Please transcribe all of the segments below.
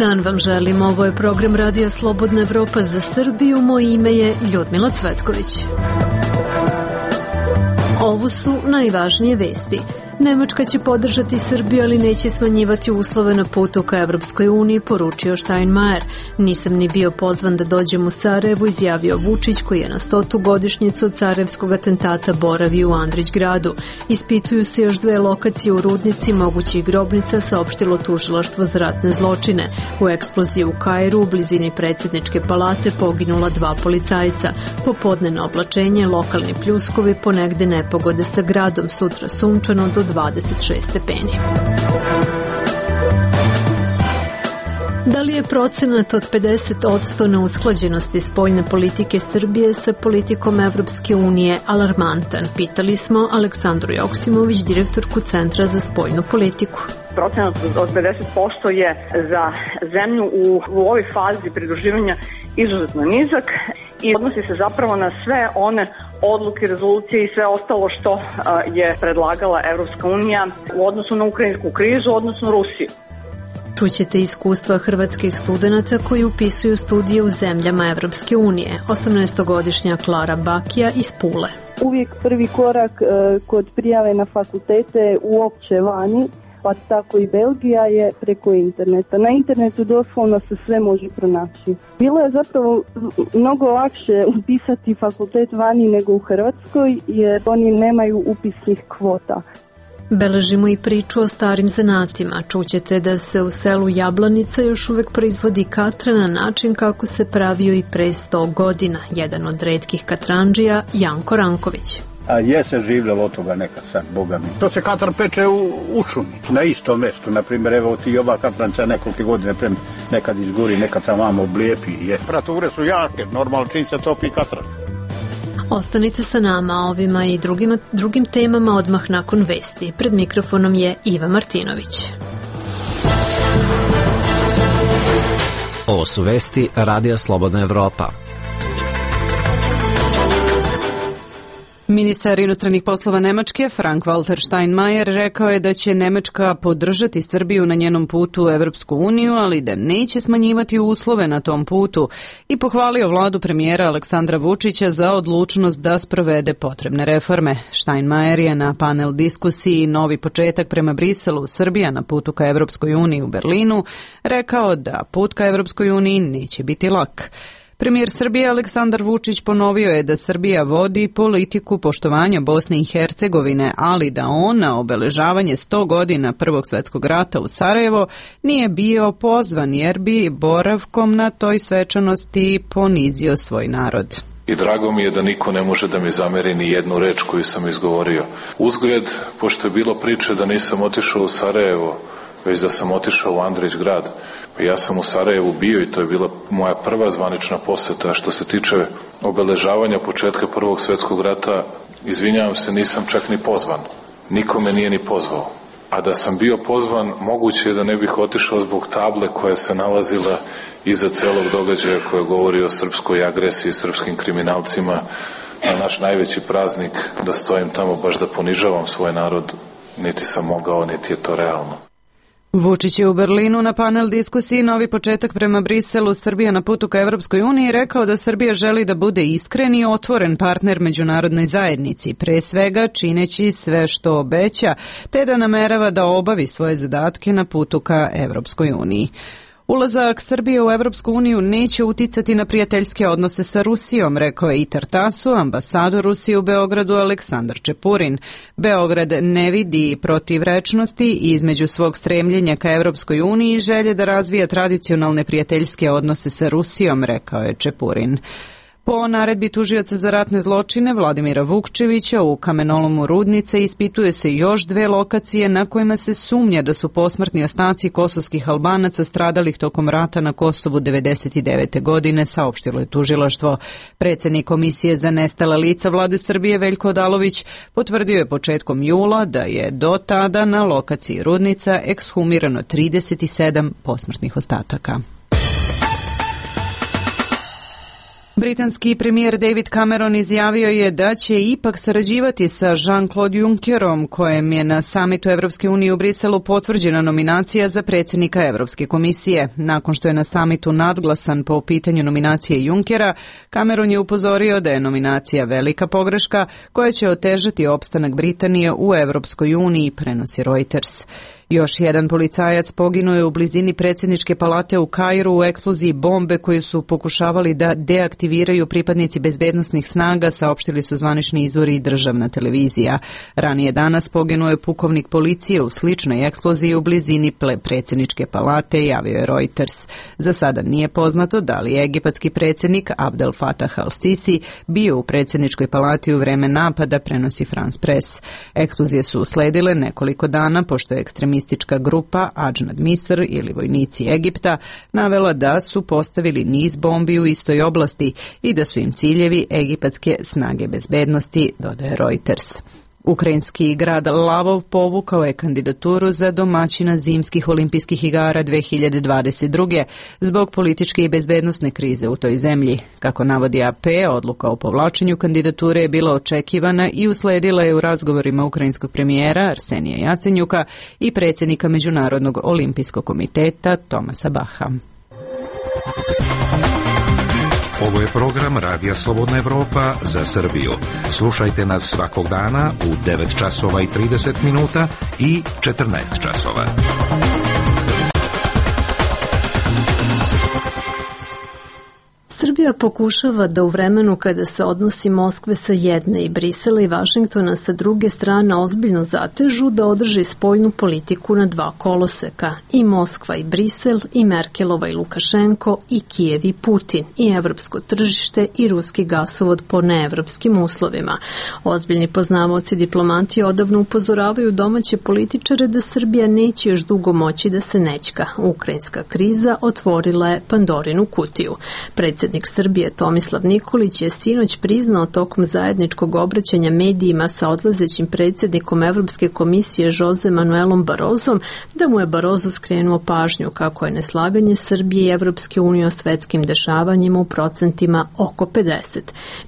dan vam želim. Ovo je program Radija Slobodna Evropa za Srbiju. Moje ime je Ljudmila Cvetković. Ovo su najvažnije vesti. Nemačka će podržati Srbiju, ali neće smanjivati uslove na putu ka Evropskoj uniji, poručio Steinmeier. Nisam ni bio pozvan da dođem u Sarajevo, izjavio Vučić, koji je na 100. godišnjicu od sarajevskog atentata boravio u Andrićgradu. Ispituju se još 2 lokacije u Rudnici mogućih grobnica, saopštilo tužilaštvo za ratne zločine. U eksploziji u Kairu, u blizini predsjedničke palate, poginula 2 policajca. Popodnevno oblačenje, lokalni pljuskovi, ponegde nepogode sa gradom, sutra sunčano do 26 stepeni. Da li je procenat od 50% neusklađenosti spoljne politike Srbije sa politikom Evropske unije alarmantan? Pitali smo Aleksandru Joksimović, direktorku Centra za spoljnu politiku. Procenat od 50% je za zemlju u ovoj fazi pridruživanja izuzetno nizak i odnosi se zapravo na sve one odluke, rezolucije i sve ostalo što je predlagala Evropska unija u odnosu na ukrajinsku krizu, odnosno Rusiju. Čućete iskustva hrvatskih studenata koji upisuju studije u zemljama Evropske unije. 18-godišnja Klara Bakija iz Pule. Uvijek prvi korak kod prijave na fakultete uopće vani, pa tako i Belgija, je preko interneta. Na internetu doslovno se sve može pronaći. Bilo je zapravo mnogo lakše upisati fakultet vani nego u Hrvatskoj, jer oni nemaju upisnih kvota. Beležimo i priču o starim zanatima. Čućete da se u selu Jablanica još uvek proizvodi katra na način kako se pravio i pre 100 godina. Jedan od retkih katrandžija, Janko Ranković. A je se življalo od toga nekad sad, Boga mi. To se katar peče u šumi, na istom mjestu. Naprimjer, evo ti ova katranca nekoliko godine prem nekad izgori, nekad sam vamo oblijepi. Temperature su jake, normalno čim se topi katran. Ostanite sa nama ovima i drugim temama odmah nakon vesti. Pred mikrofonom je Iva Martinović. Ovo su vesti Radija Slobodna Evropa. Ministar inostranih poslova Nemačke, Frank-Walter Steinmeier, rekao je da će Nemačka podržati Srbiju na njenom putu u Evropsku uniju, ali da neće smanjivati uslove na tom putu, i pohvalio vladu premijera Aleksandra Vučića za odlučnost da sprovede potrebne reforme. Steinmeier je na panel diskusiji Novi početak prema Briselu, Srbija na putu ka Evropskoj uniji u Berlinu, rekao da put ka Evropskoj uniji neće biti lak. Premijer Srbije Aleksandar Vučić ponovio je da Srbija vodi politiku poštovanja Bosne i Hercegovine, ali da on na obeležavanje 100 godina Prvog svjetskog rata u Sarajevo nije bio pozvan jer bi boravkom na toj svečanosti ponizio svoj narod. I drago mi je da niko ne može da mi zameri ni jednu reč koju sam izgovorio. Uzgred, pošto je bilo priče da nisam otišao u Sarajevo, već da sam otišao u Andrićgrad. Ja sam u Sarajevu bio i to je bila moja prva zvanična poseta. Što se tiče obeležavanja početka Prvog svjetskog rata, izvinjavam se, nisam čak ni pozvan. Niko me nije ni pozvao. A da sam bio pozvan, moguće je da ne bih otišao zbog table koja se nalazila iza celog događaja koja govori o srpskoj agresiji, srpskim kriminalcima, na naš najveći praznik, da stojim tamo baš da ponižavam svoj narod, niti sam mogao, niti je to realno. Vučić je u Berlinu na panel diskusiji Novi početak prema Briselu, Srbija na putu ka Evropskoj uniji rekao da Srbija želi da bude iskren i otvoren partner međunarodnoj zajednici, pre svega čineći sve što obeća, te da namerava da obavi svoje zadatke na putu ka Evropskoj uniji. Ulazak Srbije u Evropsku uniju neće uticati na prijateljske odnose sa Rusijom, rekao je i Tartasu ambasador Rusije u Beogradu Aleksandar Čepurin. Beograd ne vidi protivrečnosti između svog stremljenja ka Evropskoj uniji i želje da razvija tradicionalne prijateljske odnose sa Rusijom, rekao je Čepurin. Po naredbi tužioca za ratne zločine Vladimira Vukčevića u kamenolomu Rudnice ispituje se još 2 lokacije na kojima se sumnja da su posmrtni ostaci kosovskih Albanaca stradalih tokom rata na Kosovu 1999. godine, saopštilo je tužilaštvo. Predsjednik Komisije za nestala lica Vlade Srbije Veljko Odalović potvrdio je početkom jula da je do tada na lokaciji Rudnica ekshumirano 37 posmrtnih ostataka. Britanski premijer David Cameron izjavio je da će ipak sarađivati sa Jean-Claude Junckerom, kojem je na samitu Evropske unije u Briselu potvrđena nominacija za predsjednika Evropske komisije. Nakon što je na samitu nadglasan po pitanju nominacije Junckera, Cameron je upozorio da je nominacija velika pogreška koja će otežati opstanak Britanije u Evropskoj uniji, prenosi Reuters. Još jedan policajac poginuo je u blizini predsjedničke palate u Kairu u eksploziji bombe koju su pokušavali da deaktiviraju pripadnici bezbednosnih snaga, saopštili su zvanični izvori i državna televizija. Ranije danas poginuo je pukovnik policije u sličnoj eksploziji u blizini predsjedničke palate, javio je Reuters. Za sada nije poznato da li je egipatski predsjednik Abdel Fattah al-Sisi bio u predsjedničkoj palati u vreme napada, prenosi France Press. Eksplozije su usledile nekoliko dana pošto je ekstremistička grupa Adžnad Misr ili vojnici Egipta navela da su postavili niz bombi u istoj oblasti i da su im ciljevi egipatske snage bezbednosti, dodaje Reuters. Ukrajinski grad Lavov povukao je kandidaturu za domaćina zimskih olimpijskih igara 2022. zbog političke i bezbednosne krize u toj zemlji. Kako navodi AP, odluka o povlačenju kandidature je bila očekivana i usledila je u razgovorima ukrajinskog premijera Arsenija Jacenjuka i predsjednika Međunarodnog olimpijskog komiteta Tomasa Baha. Ovo je program Radija Slobodna Evropa za Srbiju. Slušajte nas svakog dana u 9 časova i 30 minuta i 14 časova. Srbija pokušava da u vremenu kada se odnosi Moskve sa jedne i Brisela i Vašingtona sa druge strane ozbiljno zatežu da održi spoljnu politiku na dva koloseka. I Moskva i Brisel, i Merkelova i Lukašenko, i Kijev i Putin, i evropsko tržište i ruski gasovod po neevropskim uslovima. Ozbiljni poznavaoci diplomati odavno upozoravaju domaće političare da Srbija neće još dugo moći da se nećka. Ukrajinska kriza otvorila je Pandorinu kutiju. Predsjednik Srbije Tomislav Nikolić je sinoć priznao tokom zajedničkog obraćanja medijima sa odlazećim predsjednikom Evropske komisije Jose Manuelom Barozom da mu je Barozo skrenuo pažnju kako je neslaganje Srbije i Evropske unije o svetskim dešavanjima u procentima oko 50.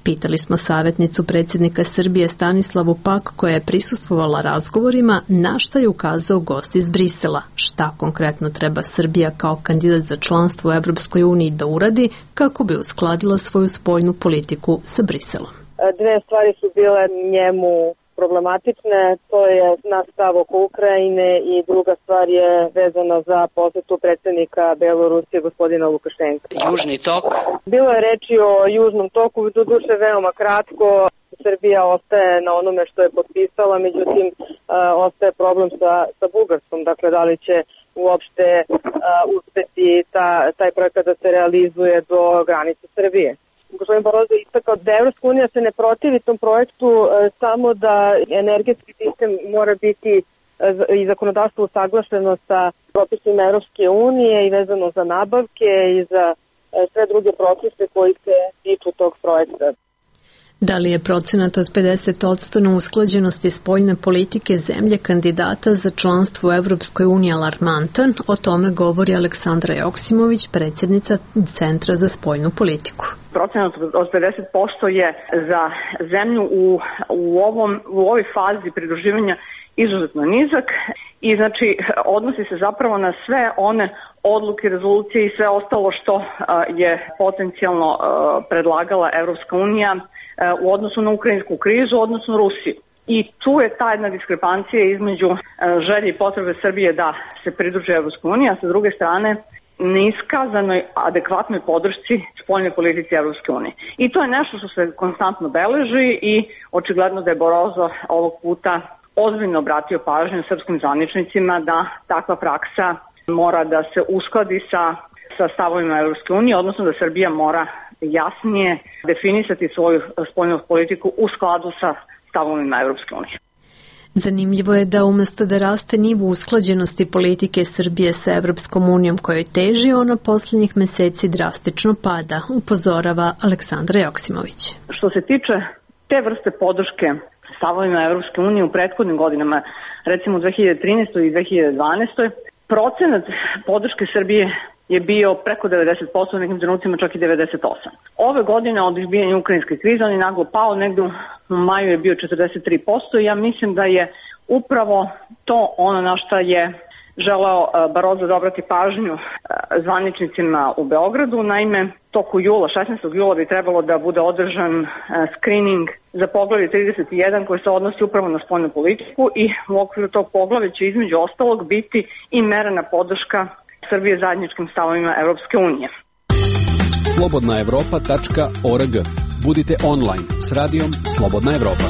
Pitali smo savjetnicu predsjednika Srbije Stanislavu Pak koja je prisustvovala razgovorima na šta je ukazao gost iz Brisela. Šta konkretno treba Srbija kao kandidat za članstvo u Evropskoj uniji da uradi kako bi uskladila svoju spoljnu politiku sa Briselom. Dve stvari su bile njemu problematične, to je naš stav oko Ukrajine i druga stvar je vezana za posjetu predsjednika Belorusije gospodina Lukašenka. Južni tok. Bilo je reči o Južnom toku, doduše veoma kratko. Srbija ostaje na onome što je potpisala, međutim ostaje problem sa Bugarskom, dakle da li će uopšte uspeti taj projekat da se realizuje do granice Srbije. Gospodin Barozo je istakao da Evropska unija se ne protivi tom projektu, samo da energetski sistem mora biti i zakonodavstvo usaglašeno sa propisima Evropske unije i vezano za nabavke i za sve druge propise koji se tiču tog projekta. Da li je procenat od 50% na usklađenosti spoljne politike zemlje kandidata za članstvo u Evropskoj uniji alarmantan? O tome govori Aleksandra Joksimović, predsjednica Centra za spoljnu politiku. Procenat od 50% je za zemlju u ovoj fazi pridruživanja izuzetno nizak i znači odnosi se zapravo na sve one odluke, rezolucije i sve ostalo što je potencijalno predlagala Evropska unija u odnosu na ukrajinsku krizu, u odnosu na Rusiju. I tu je ta jedna diskrepancija između želje i potrebe Srbije da se pridruži Evropskoj uniji, a sa druge strane neiskazanoj adekvatnoj podršci spoljnoj politici Evropske unije. I to je nešto što se konstantno beleži i očigledno da je Barozo ovog puta ozbiljno obratio pažnju srpskim zvaničnicima da takva praksa mora da se uskladi sa stavovima Evropske unije, odnosno da Srbija mora jasnije definisati svoju spoljnu politiku u skladu sa stavovima Evropske unije. Zanimljivo je da umesto da raste nivo usklađenosti politike Srbije sa Evropskom unijom kojoj teži, ona posljednjih meseci drastično pada, upozorava Aleksandra Joksimović. Što se tiče te vrste podrške stavovima Evropske unije u prethodnim godinama, recimo 2013. i 2012. procenat podrške Srbije je bio preko 90%, u nekim trenucima čak i 98%. Ove godine od izbijanja ukrajinske krize on je naglo pao, negdje u maju je bio 43%. Ja mislim da je upravo to ono na što je želeo Barozo da obrati pažnju zvaničnicima u Beogradu. Naime, toku jula, 16. jula bi trebalo da bude održan screening za poglavlje 31 koji se odnosi upravo na spoljnu politiku i u okviru tog poglavlja će između ostalog biti i merena podrška Srbije zajedničkim stavovima Evropske unije. slobodnaevropa.org. Budite online s radijom Slobodna Evropa.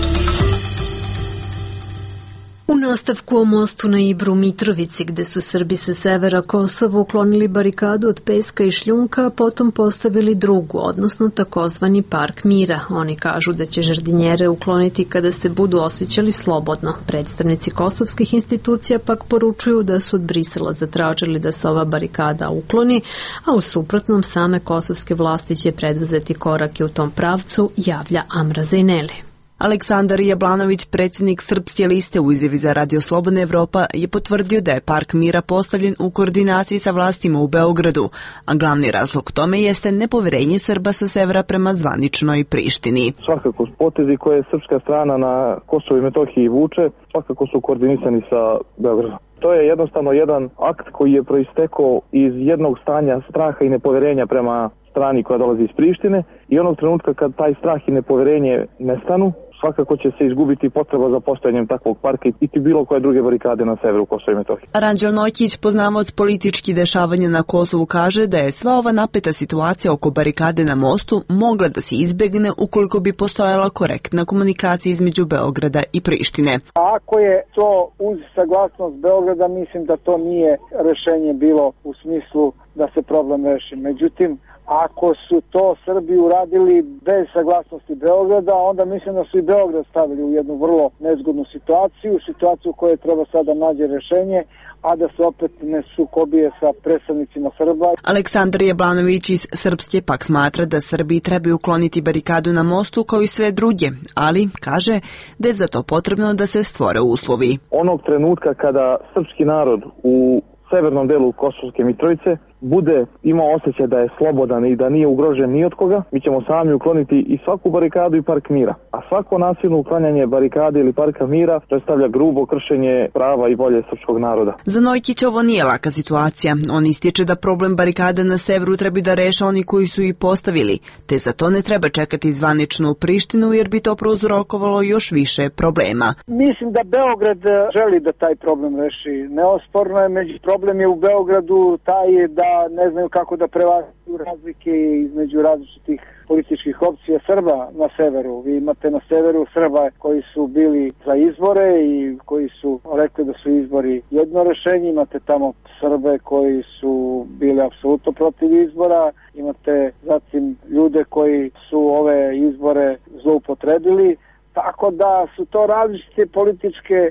U nastavku o mostu na Ibru Mitrovici, gde su Srbi sa severa Kosova uklonili barikadu od peska i šljunka, a potom postavili drugu, odnosno takozvani Park mira. Oni kažu da će žardinjere ukloniti kada se budu osjećali slobodno. Predstavnici kosovskih institucija pak poručuju da su od Brisela zatražili da se ova barikada ukloni, a u suprotnom same kosovske vlasti će preduzeti korake u tom pravcu, javlja Amra Zejneli. Aleksandar Jablanović, predsjednik Srpske liste u izjavi za Radio Slobodna Evropa, je potvrdio da je Park mira postavljen u koordinaciji sa vlastima u Beogradu, a glavni razlog tome jeste nepoverenje Srba sa severa prema zvaničnoj Prištini. Svakako potezi koje srpska strana na Kosovu i Metohiji vuče, svakako su koordinisani sa Beogradom. To je jednostavno jedan akt koji je proistekao iz jednog stanja straha i nepoverenja prema strani koja dolazi iz Prištine i onog trenutka kad taj strah i nepoverenje nestanu, svakako će se izgubiti potreba za postojanjem takvog parka i bilo koje druge barikade na severu Kosova i Metohije. Ranđel Nojkić, poznavac političkih dešavanja na Kosovu, kaže da je sva ova napeta situacija oko barikade na mostu mogla da se izbegne ukoliko bi postojala korektna komunikacija između Beograda i Prištine. Ako je to uz saglasnost Beograda, mislim da to nije rešenje bilo u smislu da se problem reši. Međutim, ako su to Srbi uradili bez saglasnosti Beograda, onda mislim da su i Beograd stavili u jednu vrlo nezgodnu situaciju u kojoj treba sada nađe rešenje, a da se opet ne sukobije sa predstavnicima Srba. Aleksandar Jablanović iz Srpske pak smatra da Srbi trebaju ukloniti barikadu na mostu kao i sve druge, ali kaže da je za to potrebno da se stvore uslovi. Onog trenutka kada srpski narod u severnom delu Kosovske Mitrovice bude imao osjećaj da je slobodan i da nije ugrožen ni od koga, mi ćemo sami ukloniti i svaku barikadu i Park mira. A svako nasilno uklanjanje barikade ili Parka mira predstavlja grubo kršenje prava i volje srpskog naroda. Za Nojkić ovo nije laka situacija. On ističe da problem barikade na severu treba da reše oni koji su ih postavili, te za to ne treba čekati zvaničnu Prištinu jer bi to prouzrokovalo još više problema. Mislim da Beograd želi da taj problem reši. Neosporno je, problem je u Beogradu taj da ne znaju kako da prevaziđu razlike između različitih političkih opcija Srba na severu. Vi imate na severu Srba koji su bili za izbore i koji su rekli da su izbori jedno rešenje. Imate tamo Srbe koji su bili apsolutno protiv izbora. Imate zatim ljude koji su ove izbore zloupotrebili. Tako da su to različite političke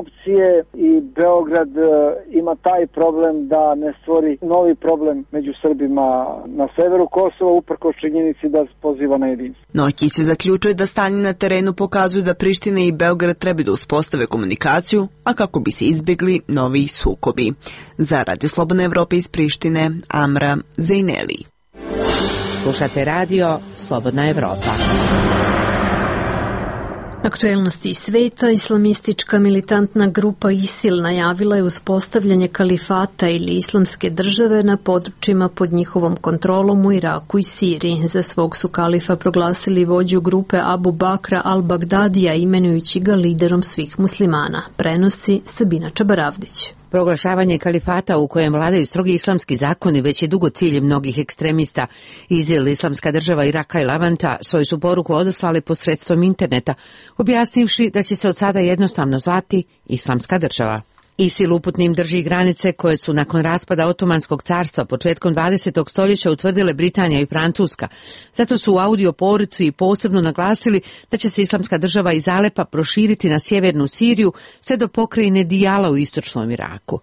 opcije i Beograd ima taj problem da ne stvori novi problem među Srbima na severu Kosova uprkos činjenici da poziva na jedinstvo. Nojkić se zaključuje da stanje na terenu pokazuju da Priština i Beograd treba da uspostave komunikaciju, a kako bi se izbjegli novi sukobi. Za Radio Slobodna Evropa iz Prištine, Amra Zejneli. Slušate radio Slobodna Evropa. Aktuelnosti sveta, islamistička militantna grupa ISIL najavila je uspostavljanje kalifata ili islamske države na područjima pod njihovom kontrolom u Iraku i Siriji. Za svog su kalifa proglasili vođu grupe Abu Bakra al-Bagdadija, imenujući ga liderom svih muslimana. Prenosi Sabina Čabaravdić. Proglašavanje kalifata u kojem vladaju strogi islamski zakoni već je dugo cilj mnogih ekstremista. ISIL, islamska država Iraka i Levanta, svoju su poruku odaslali posredstvom interneta, objasnivši da će se od sada jednostavno zvati Islamska država. ISIL uputnim drži granice koje su nakon raspada Otomanskog carstva početkom 20. stoljeća utvrdile Britanija i Francuska. Zato su u audio poruci i posebno naglasili da će se Islamska država iz Alepa proširiti na sjevernu Siriju sve do pokrajine Dijala u istočnom Iraku.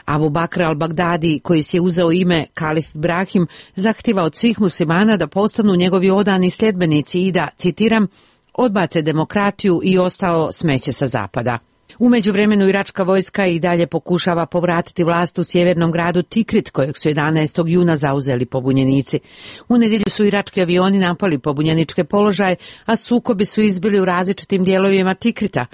Abu Bakr al-Bagdadi, koji si je uzeo ime Kalif Ibrahim, zahtjeva od svih muslimana da postanu njegovi odani sljedbenici i da, citiram, odbace demokratiju i ostalo smeće sa zapada. U međuvremenu iračka vojska i dalje pokušava povratiti vlast u sjevernom gradu Tikrit, kojeg su 11. juna zauzeli pobunjenici. U nedjelju su irački avioni napali pobunjeničke položaje, a sukobi su izbili u različitim dijelovima Tikrita.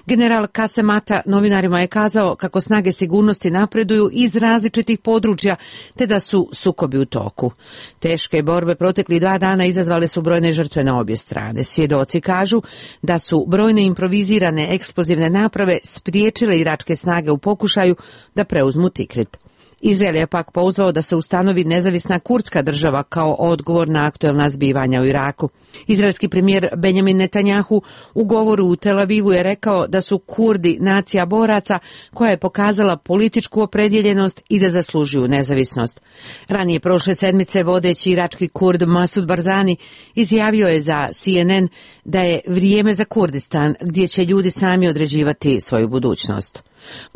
General Kasem Ata novinarima je kazao kako snage sigurnosti napreduju iz različitih područja, te da su sukobi u toku. Teške borbe protekli 2 dana izazvale su brojne žrtve na obje strane. Svjedoci kažu da su brojne improvizirane eksplozivne naprave spriječile iračke snage u pokušaju da preuzmu Tikrit. Izrael je pak pozvao da se ustanovi nezavisna kurdska država kao odgovor na aktuelna zbivanja u Iraku. Izraelski premijer Benjamin Netanjahu u govoru u Tel Avivu je rekao da su Kurdi nacija boraca koja je pokazala političku opredjeljenost i da zaslužuju nezavisnost. Ranije prošle sedmice vodeći irački Kurd Masud Barzani izjavio je za CNN da je vrijeme za Kurdistan gdje će ljudi sami određivati svoju budućnost.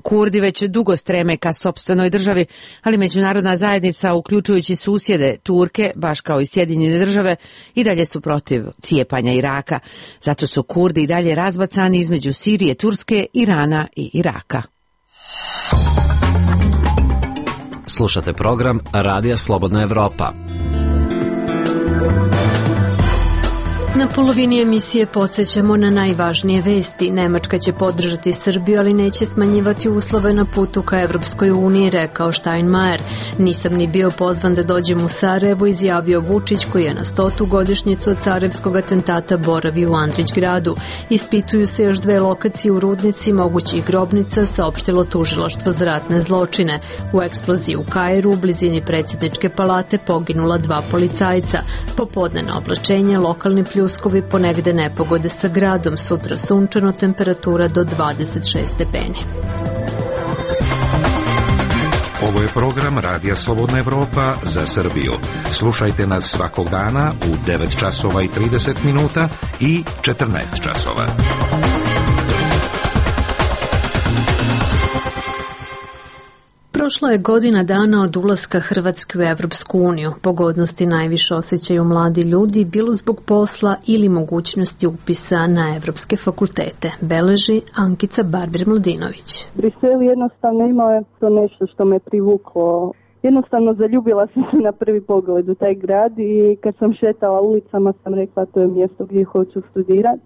Kurdi već dugo streme ka sopstvenoj državi, ali međunarodna zajednica, uključujući susjede Turke, baš kao i Sjedinjene države, i dalje su protiv cijepanja Iraka. Zato su Kurdi i dalje razbacani između Sirije, Turske, Irana i Iraka. Slušate program Radija Slobodna Evropa. Na polovini emisije podsjećamo na najvažnije vesti. Nemačka će podržati Srbiju, ali neće smanjivati uslove na putu ka Evropskoj uniji, rekao Steinmeier. Nisam ni bio pozvan da dođem u Sarajevo, izjavio Vučić, koji je na 100. godišnjicu od carevskog atentata boravio u Andrićgradu. Ispituju se još 2 lokacije u Rudnici mogućih grobnica, saopštilo tužilaštvo za ratne zločine. U eksploziji u Kairu, u blizini predsjedničke palate, poginula 2 policajca. Popodnevno oblačenje, lokalni pljuskovi, ponegde nepogode sa gradom, sutra sunčano, temperatura do 26 stepeni. Ovo je program Radija Slobodna Evropa za Srbiju. Slušajte nas svakog dana u 9 časova i 30 minuta i 14 časova. Prošla je godina dana od ulaska Hrvatske u Evropsku uniju. Pogodnosti najviše osjećaju mladi ljudi, bilo zbog posla ili mogućnosti upisa na evropske fakultete, beleži Ankica Barbir-Mladinović. Brisel jednostavno imao je to nešto što me privuklo. Jednostavno zaljubila sam se na prvi pogled u taj grad i kad sam šetala ulicama sam rekla to je mjesto gdje hoću studirati.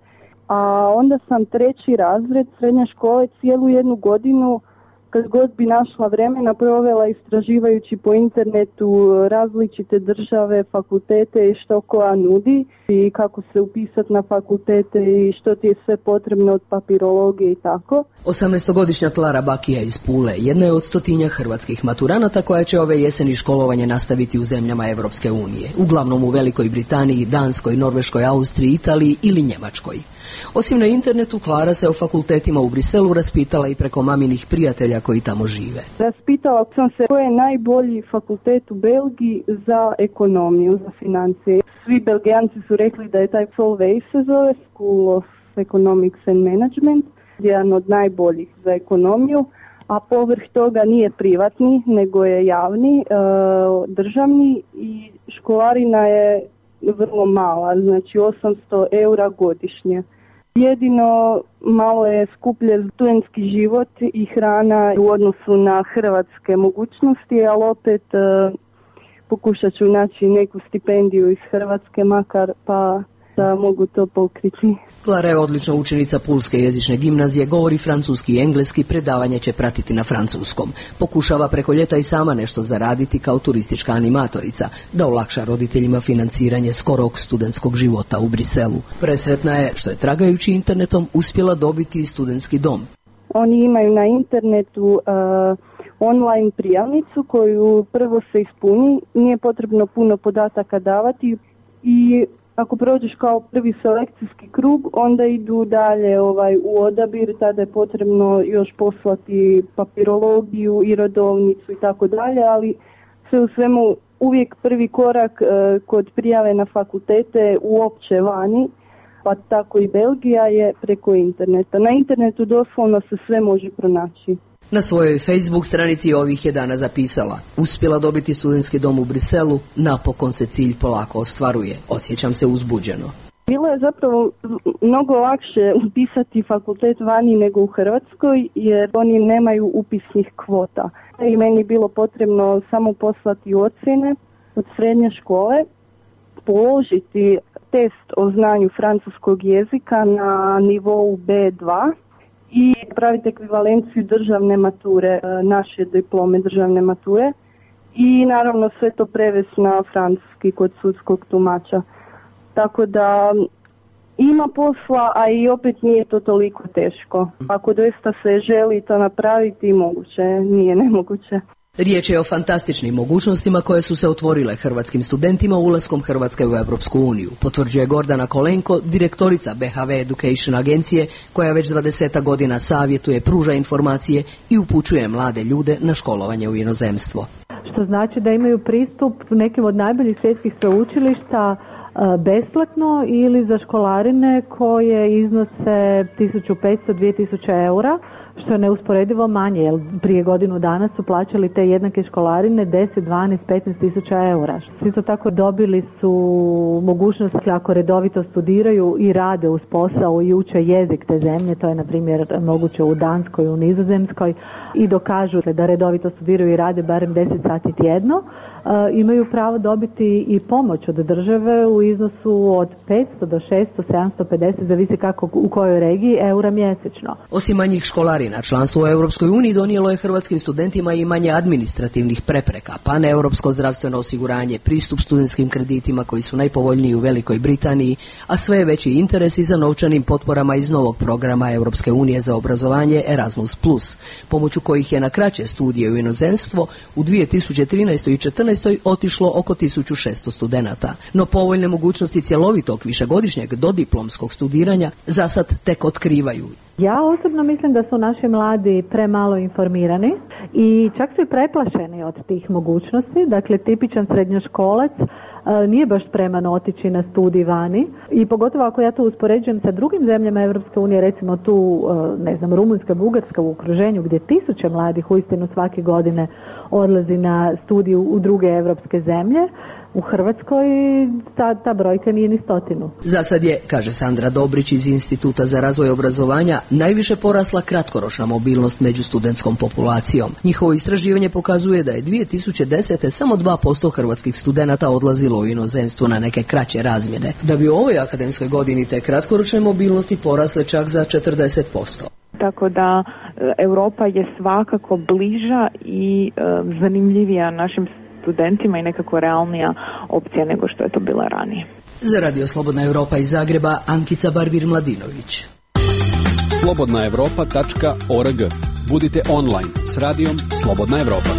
A onda sam 3. razred srednje škole cijelu 1 godinu, kad god bi našla vremena, provela istraživajući po internetu različite države, fakultete i što koja nudi i kako se upisati na fakultete i što ti je sve potrebno od papirologije i tako. 18-godišnja Klara Bakija iz Pule jedna je od 100 hrvatskih maturanata koja će ove jeseni školovanje nastaviti u zemljama Evropske unije, uglavnom u Velikoj Britaniji, Danskoj, Norveškoj, Austriji, Italiji ili Njemačkoj. Osim na internetu, Klara se o fakultetima u Briselu raspitala i preko maminih prijatelja koji tamo žive. Raspitala sam se koji je najbolji fakultet u Belgiji za ekonomiju, za financije. Svi Belgijanci su rekli da je taj Solvay se zove, School of Economics and Management, jedan od najboljih za ekonomiju, a povrh toga nije privatni, nego je javni, državni i školarina je vrlo mala, znači 800 eura godišnje. Jedino malo je skuplje studentski život i hrana u odnosu na hrvatske mogućnosti, ali opet pokušat ću naći neku stipendiju iz Hrvatske makar pa da mogu to pokriti. Klara je odlična učenica Pulske jezične gimnazije, govori francuski i engleski, predavanje će pratiti na francuskom. Pokušava preko ljeta i sama nešto zaraditi kao turistička animatorica, da olakša roditeljima financiranje skorog studentskog života u Briselu. Presretna je što je tragajući internetom uspjela dobiti studentski dom. Oni imaju na internetu online prijavnicu koju prvo se ispuni, nije potrebno puno podataka davati i ako prođeš kao prvi selekcijski krug, onda idu dalje u odabir, tada je potrebno još poslati papirologiju i rodovnicu i tako dalje, ali sve u svemu uvijek prvi korak kod prijave na fakultete uopće vani, pa tako i Belgija, je preko interneta. Na internetu doslovno se sve može pronaći. Na svojoj Facebook stranici ovih je dana zapisala: uspjela dobiti studentski dom u Briselu, napokon se cilj polako ostvaruje, osjećam se uzbuđeno. Bilo je zapravo mnogo lakše upisati fakultet vani nego u Hrvatskoj jer oni nemaju upisnih kvota. I meni je bilo potrebno samo poslati ocjene od srednje škole, položiti test o znanju francuskog jezika na nivou B2 i praviti ekvivalenciju državne mature, naše diplome državne mature i naravno sve to prevesti na francuski kod sudskog tumača. Tako da ima posla, a i opet nije to toliko teško. Ako doista se želi to napraviti, moguće, nije nemoguće. Riječ je o fantastičnim mogućnostima koje su se otvorile hrvatskim studentima ulaskom Hrvatske u Europsku uniju, potvrđuje Gordana Kolenko, direktorica BHV Education agencije, koja već 20 godina savjetuje, pruža informacije i upućuje mlade ljude na školovanje u inozemstvo. Što znači da imaju pristup nekim od najboljih svjetskih sveučilišta besplatno ili za školarine koje iznose 1500-2000 eura, što je neusporedivo manje, jer prije godinu dana su plaćali te jednake školarine 10, 12, 15 tisuća eura. Isto tako dobili su mogućnost ako redovito studiraju i rade uz posao i uče jezik te zemlje, to je na primjer moguće u Danskoj, u Nizozemskoj, i dokažu da redovito studiraju i rade barem 10 sati tjedno, imaju pravo dobiti i pomoć od države u iznosu od 500 do 600, 750, zavisi kako u kojoj regiji, eura mjesečno. Osim manjih školarina, članstvo u Europskoj uniji donijelo je hrvatskim studentima i manje administrativnih prepreka, paneuropsko zdravstveno osiguranje, pristup studentskim kreditima koji su najpovoljniji u Velikoj Britaniji, a sve je veći interes i za novčanim potporama iz novog programa Europske unije za obrazovanje Erasmus+, pomoću kojih je na kraće studije u inozemstvo u 2013. i 2014. otišlo oko 1600 studenata. No povoljne mogućnosti cjelovitog višegodišnjeg dodiplomskog studiranja za sad tek otkrivaju. Ja osobno mislim da su naši mladi premalo informirani i čak su i preplašeni od tih mogućnosti. Dakle, tipičan srednjoškolac nije baš spreman otići na studij vani i pogotovo ako ja to uspoređujem sa drugim zemljama Europske unije, recimo tu, ne znam, Rumunjska, Bugarska u okruženju gdje tisuće mladih uistinu svake godine odlazi na studiju u druge europske zemlje. U Hrvatskoj ta brojka nije ni 100. Za sad je, kaže Sandra Dobrić iz Instituta za razvoj obrazovanja, najviše porasla kratkoročna mobilnost među studentskom populacijom. Njihovo istraživanje pokazuje da je 2010. samo 2% hrvatskih studenata odlazilo u inozemstvo na neke kraće razmjene, da bi u ovoj akademskoj godini te kratkoročne mobilnosti porasle čak za 40%. Tako da Europa je svakako bliža i zanimljivija našim studentima i nekako realnija opcija nego što je to bila ranije. Za Radio Slobodna Europa iz Zagreba, Ankica Barvir-Mladinović. slobodnaevropa.org. Budite online s radijom Slobodna Evropa.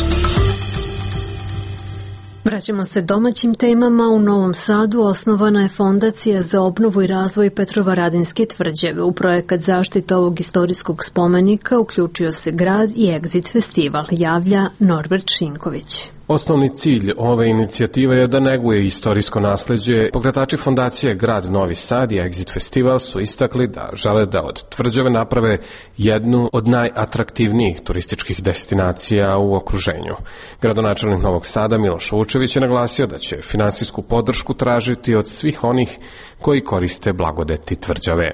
Vraćamo se domaćim temama. U Novom Sadu osnovana je Fondacija za obnovu i razvoj Petrovaradinske tvrđave. U projekat zaštite ovog istorijskog spomenika uključio se grad i Exit festival, javlja Norbert Šinković. Osnovni cilj ove inicijative je da neguje istorijsko nasleđe. Pokretači fondacije Grad Novi Sad i Exit Festival su istakli da žele da od tvrđave naprave jednu od najatraktivnijih turističkih destinacija u okruženju. Gradonačelnik Novog Sada Miloš Vučević je naglasio da će finansijsku podršku tražiti od svih onih koji koriste blagodeti tvrđave.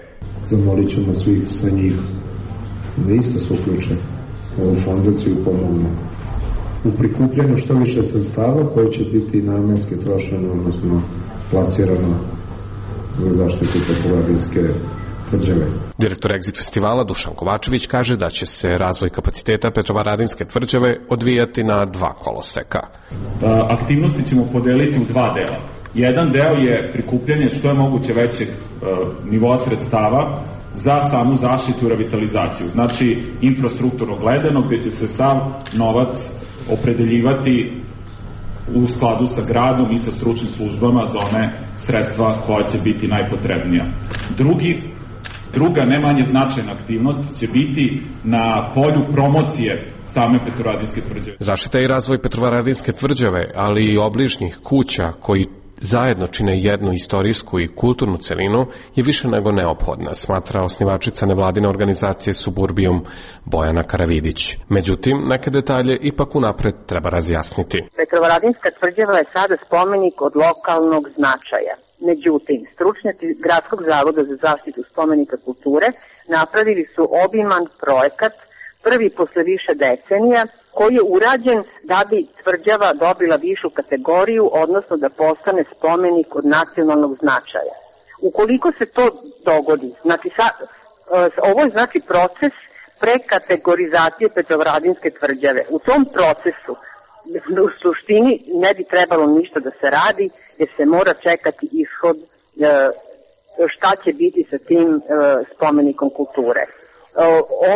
Zamolit ćemo sve njih da isto se uključe u ovu fondaciju i pomognu u prikupljanju što više sredstava koje će biti namenski trošeno, odnosno plasirano za zaštitu Petrovaradinske tvrđave. Direktor Exit festivala Dušan Kovačević kaže da će se razvoj kapaciteta Petrovaradinske tvrđave odvijati na 2 koloseka. Aktivnosti ćemo podeliti u 2 dela. Jedan deo je prikupljanje što je moguće većeg nivoa sredstava za samu zaštitu i revitalizaciju. Znači, infrastrukturno gledano, gdje će se sav novac opredeljivati u skladu sa gradom i sa stručnim službama za one sredstva koja će biti najpotrebnija. Druga, ne manje značajna aktivnost će biti na polju promocije same Petrovaradinske tvrđave. Zaštita i razvoj Petrovaradinske tvrđave, ali i obližnjih kuća koji zajedno čine jednu istorijsku i kulturnu celinu je više nego neophodna, smatra osnivačica nevladine organizacije Suburbijum Bojana Karavidić. Međutim, neke detalje ipak unapred treba razjasniti. Petrovaradinska tvrđava je sada spomenik od lokalnog značaja Međutim, stručnjaci Gradskog zavoda za zaštitu spomenika kulture napravili su obiman projekat, prvi posle više decenija, koji je urađen da bi tvrđava dobila višu kategoriju, odnosno da postane spomenik od nacionalnog značaja. Ukoliko se to dogodi, znači ovo je znači proces prekategorizacije Petrovaradinske tvrđave. U tom procesu u suštini ne bi trebalo ništa da se radi, jer se mora čekati ishod šta će biti sa tim spomenikom kulture.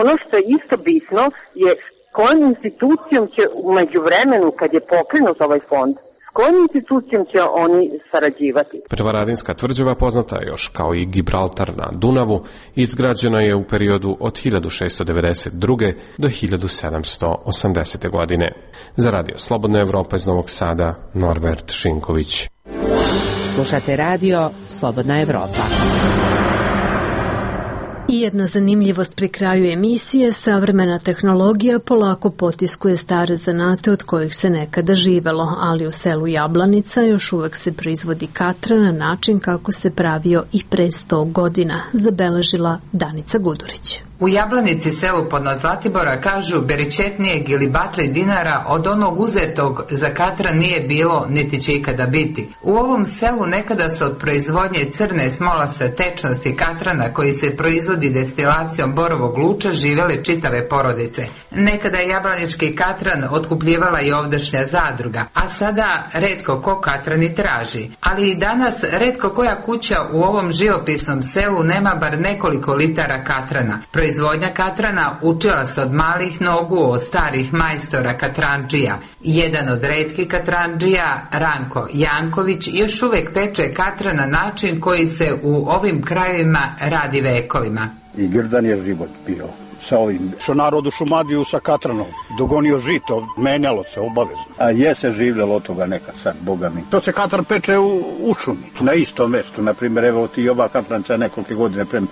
Ono što je isto bitno je s kojom institucijom će u međuvremenu, kad je pokrenut ovaj fond, s kojom institucijom će oni sarađivati. Petrovaradinska tvrđava poznata je još kao i Gibraltar na Dunavu, izgrađena je u periodu od 1692. do 1780. godine. Za Radio Slobodna Evropa iz Novog Sada, Norbert Šinković. Slušate radio Slobodna Evropa. I jedna zanimljivost pri kraju emisije, savremena tehnologija polako potiskuje stare zanate od kojih se nekada živelo, ali u selu Jablanica još uvek se proizvodi katra na način kako se pravio i pre 100 godina, zabeležila Danica Gudurić. U Jablanici, selu podno Zlatibora, kažu beričetnijeg ili batli dinara od onog uzetog za katra nije bilo niti će ikada biti. U ovom selu nekada su od proizvodnje crne smolaste tečnosti katrana koji se proizvodi destilacijom borovog luča živjele čitave porodice. Nekada je jablanički katran otkupljivala i ovdašnja zadruga, a sada retko ko katrani traži. Ali i danas retko koja kuća u ovom živopisnom selu nema bar nekoliko litara katrana. Proizvodnja katrana učila se od malih nogu od starih majstora katranđija. Jedan od retkih katranđija, Ranko Janković, još uvek peče katran na način koji se u ovim krajevima radi vekovima. I grdan je život bio sa ovim. Što narod u Šumadiju sa katranom dogonio žito, menjalo se obavezno. A je se življalo od toga neka sad, boga mi. To se katran peče u šumi, na istom mestu. Naprimjer, evo ti ova katranca nekoliko godine prema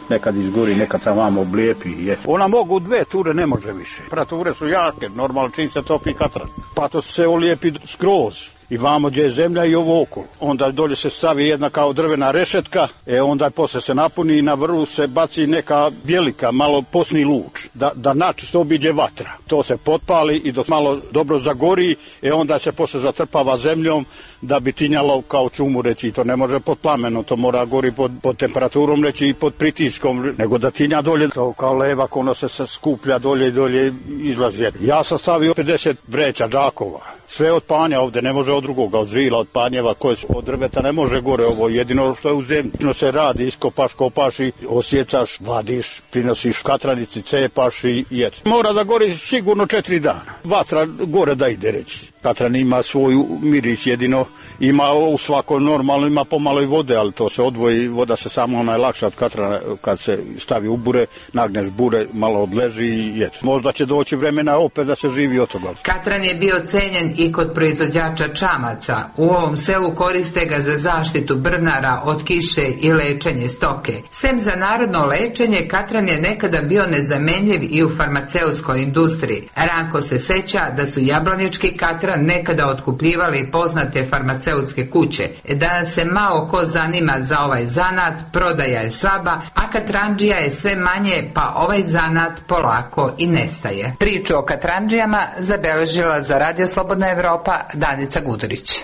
nekad izgori, nekad sam vam oblijepi. Ona mogu 2 ture, ne može više. Temperature su jake, normalno čim se topi katran. Pa to se olijepi skroz. I vamo gdje je zemlja i ovo okolo. Onda dolje se stavi jedna kao drvena rešetka, onda posle se napuni i na vrhu se baci neka bjelika, malo posni luč, da načisto obiđe vatra. To se potpali i dok malo dobro zagori, onda se posle zatrpava zemljom da bi tinjalo kao čumu reći. To ne može pod plamenom, to mora gori pod temperaturom reći i pod pritiskom, nego da tinja dolje. To kao levak, ono se skuplja dolje i dolje izlazi. Ja sam stavio 50 vreća džakova. Sve od panja ovde, ne može od drugoga, od žila, od panjeva, koje su od drveta, ne može gore ovo, jedino što je u zemlji. Se radi, iskopaš, kopaš i osjecaš, vadiš, prinosiš katranici, cepaš i jec. Mora da gori sigurno 4 dana. Vatra gore da ide reći. Katran ima svoju miris, jedino ima u svako normalno, ima pomalo i vode, ali to se odvoji, voda se samo najlakša od katrana kad se stavi u bure, nagneš bure, malo odleži i jec. Možda će doći vremena opet da se živi od toga. Katran je bio cenjen i kod proizvođača čamaca. U ovom selu koriste ga za zaštitu brnara od kiše i lečenje stoke. Sem za narodno lečenje, katran je nekada bio nezamenljiv i u farmaceutskoj industriji. Ranko se seća da su jablanički katran nekada otkupljivali poznate farmaceutske kuće. Danas se malo ko zanima za ovaj zanat, prodaja je slaba, a katrandžija je sve manje, pa ovaj zanat polako i nestaje. Priču o katrandžijama zabeležila za Radio Slobodna Evropa Danica Gudurić.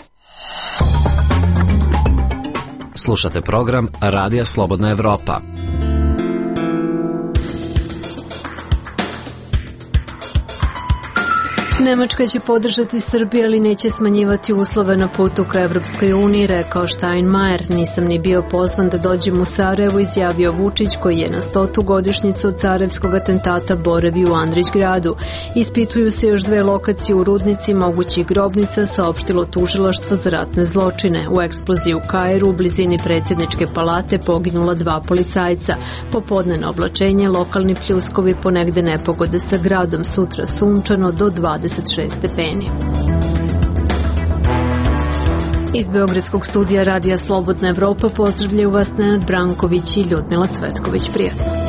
Slušate program Radija Slobodna Evropa. Nemačka će podržati Srbiju, ali neće smanjivati uslove na putu ka Evropskoj uniji, rekao Steinmeier. Nisam ni bio pozvan da dođem u Sarajevo, izjavio Vučić, koji je na 100. godišnjicu od carevskog atentata boravio u Andrićgradu. Ispituju se još 2 lokacije u Rudnici mogućih grobnica, saopštilo tužilaštvo za ratne zločine. U eksploziji u Kairu, u blizini predsjedničke palate, poginula 2 policajca. Popodnevno oblačenje, lokalni pljuskovi, ponegde nepogode sa gradom, sutra sunčano do 26 stepeni. Iz Beogradskog studija Radija Slobodna Evropa pozdravljaju vas Nenad Branković i Ljudmila Cvetković. Prijatno.